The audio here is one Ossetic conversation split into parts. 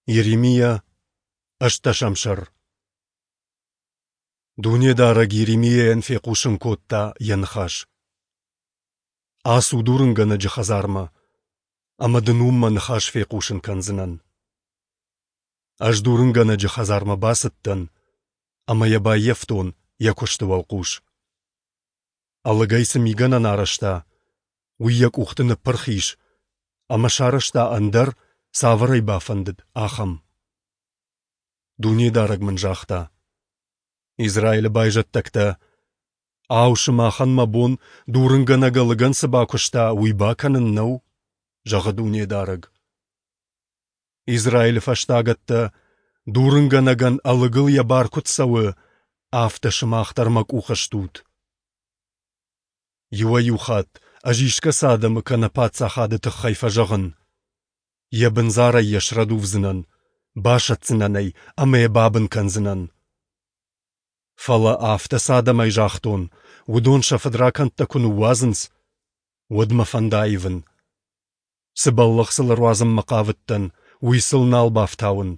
Йеремиа, ӕстдӕсӕм сӕр. Дунедарӕг Йеремиайӕн фехъусын кодта йӕ ныхас: Ацу дурынгӕнӕджы хӕдзармӕ, ӕмӕ дын уым мӕ ныхас фехъусын кӕндзынӕн. Ӕз дурынгӕнӕджы хӕдзармӕ бацыдтӕн ӕмӕ йӕ баййӕфтон йӕ куысты уӕлхъус. Ӕлыгӕй цы мигӕнӕн арӕзта, уый йӕ къухты ныппырх ис ӕмӕ сарӕзта ӕндӕр, цавӕр ӕй бафӕндыд, ахӕм. Дунедарӕг мын загъта: Израилы байзӕддӕгтӕ, ау, сымахӕн мӕ бон, дурынгӕнӕг ӕлыгӕн цы бакуыста, уый бакӕнын нӕу? зӕгъы Дунедарӕг. Израилы фӕстагӕттӕ, дурынгӕнӕгӕн ӕлыгыл йӕ бар куыд цӕуы, афтӕ сымах дӕр мӕ къухы стут. Иуӕй-иу хатт ӕз искӕцы адӕмы кӕнӕ паддзахады тыххӕй фӕзӕгъын: йӕ бындзарӕй йӕ срӕдувдзынӕн, басӕтдзынӕн ӕй ӕмӕ йӕ бабын кӕндзынӕн. Фӕлӕ афтӕ цы адӕмӕй загътон, уыдон сӕ фыдракӕндтӕ куы ныууадзынц, уӕд мӕ фӕнд аивын. Цы бӕллӕх сыл ӕруадзынмӕ хъавыдтӕн, уый сыл нал бафтауын.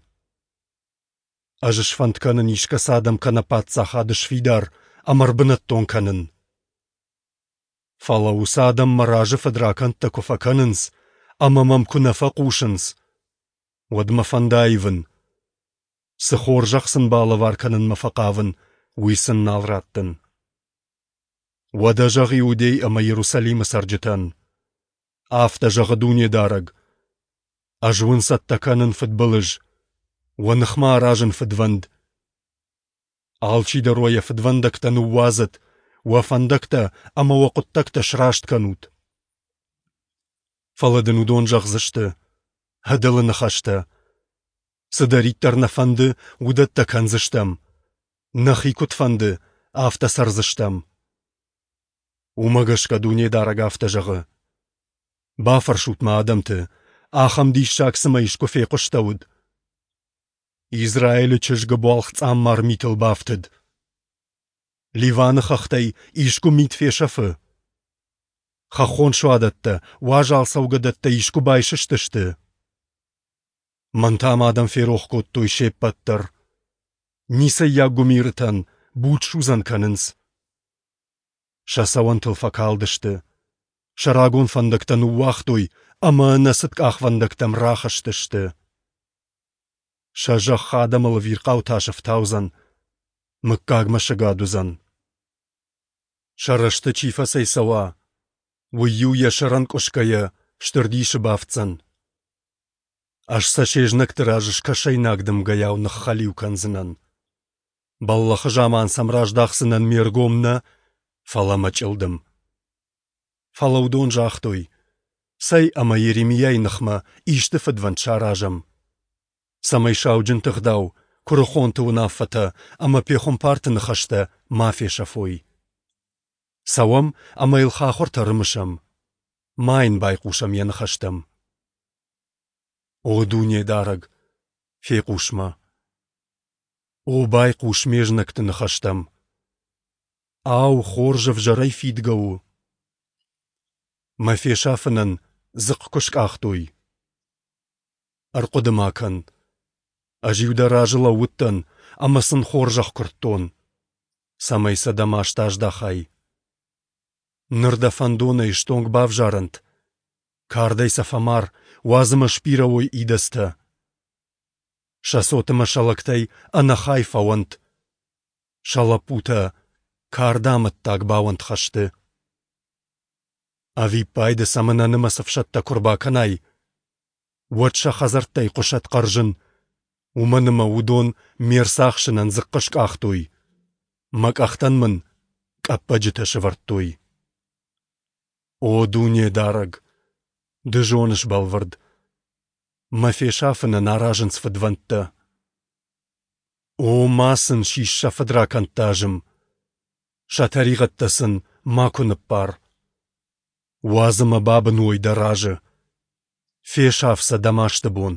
Ӕз сфӕнд кӕнын искӕцы адӕм кӕнӕ паддзахад сфидар ӕмӕ ӕрбынӕттон кӕнын. Фӕлӕ уыцы адӕм мӕ разы фыдракӕндтӕ куы фӕкӕнынц ӕмӕ мӕм куы нӕ фӕхъусынц, уӕд мӕ фӕнд аивын. Цы хорзӕх сын балӕвар кӕнынмӕ фӕхъавын, уый сын нал раттын. Уӕдӕ зӕгъ Иудей ӕмӕ Иерусалимы цӕрджытӕн: Афтӕ зӕгъы Дунедарӕг: Ӕз уын цӕттӕ кӕнын фыдбылыз, уӕ ныхмӕ аразын фыдвӕнд. Алчидӕр уӕ йӕ фыдвӕндӕгтӕ ныууадзӕд, уӕ фӕндӕгтӕ ӕмӕ уӕ хъуыддӕгтӕ сраст кӕнут. Фӕлӕ дын уыдон зӕгъдзысты: Ӕдылы ныхӕстӕ! Цыдӕриддӕр нӕ фӕнды, уыдӕттӕ кӕндзыстӕм. Нӕхи куыд фӕнды, афтӕ цӕрдзыстӕм. Уымӕ гӕсгӕ Дунедарӕг афтӕ зӕгъы: Бафӕрсут ма адӕмты, ахӕм диссаг цымӕ искуы фехъуыстӕуыд? Израилы чызг ӕбуалгъ цъаммар митыл бафтыд. Ливаны хӕхтӕй искуы мит фесӕфы? Хӕххон суадӕттӕ, уазал цӕугӕдӕттӕ искуы байсыстысты? Мӕн та ма адӕм ферох кодтой се ппӕт дӕр. Ницӕййаг гуымирытӕн будсудзӕн кӕнынц. Сӕ цӕуӕнтыл фӕкалдысты, сӕ рагон фӕндӕгтӕ ныууагътой ӕмӕ ӕнӕцыд къахвӕндӕгтӕм рахызтысты. Сӕ зӕхх адӕмыл ӕвирхъау тас ӕфтаудзӕн, мыггагмӕ сыгад уыдзӕн. Сӕ рӕзты чи фӕцӕйцӕуа, уый-иу йӕ сӕр ӕнкъуысгӕйӕ стыр дисы бафтдзӕн. Ӕз сӕ се знӕгты раз скӕсӕйнаг дымгӕйау ныххӕлиу кӕндзынӕн. Бӕллӕхы заман сӕм раздахдзынӕн ме ргом нӕ, фӕлӕ мӕ чъылдым. Фӕлӕ уыдон загътой, цӕй ӕмӕ Йеремиайы ныхмӕ исты фыдвӕнд саразӕм, цӕмӕй сауджынты гъдау, куырыхонты уынаффӕтӕ ӕмӕ пехуымпарты ныхӕстӕ ма фесӕфой. Цӕуӕм ӕмӕ йыл хахуыртӕ рымысӕм, ма йын байхъусӕм йӕ ныхӕстӕм. О Дунедарӕг, фехъус мӕ! О, байхъус ме знӕгты ныхӕстӕм! Ау, хорз ӕвзӕрӕй фидгӕ у? Мӕ фесафынӕн дзыхъхъ куы скъахтой. Ӕрхъуыды-ма кӕн, ӕз-иу дӕ разы лӕууыдтӕн ӕмӕ сын хорзӕх куырдтон, цӕмӕй сӕ дӕ маст аздахай. Ныр дӕ фӕндонӕй стонг бавзарӕнт, кардӕй сӕ фӕмар, уадз ӕмӕ сбирӕ уой идӕдзтӕ. Сӕ цот ӕмӕ сӕ лӕгтӕй ӕнӕхай фӕуӕнт, сӕ лӕппутӕ карды амӕттаг бауӕнт хӕсты. Ӕвиппайды сӕм ӕнӕнымӕц ӕфсӕдтӕ куы рбакӕнай, уӕд сӕ хӕдзӕрттӕй хъуысӕд хъӕрзын, уымӕн ӕмӕ уыдон ме рцахсынӕн дзыхъхъ скъахтой, мӕ къӕхтӕн мын къӕппӕджытӕ сӕвӕрдтой. О Дунедарӕг, ды зоныс бӕлвырд, мӕ фесафынӕн аразынц фыдвӕндтӕ. О, ма сын сис сӕ фыдракӕндты азым, сӕ тӕригъӕдтӕ сын макуы ныббар. Уадз ӕмӕ бабын уой дӕ разы, фесаф сӕ дӕ масты бон.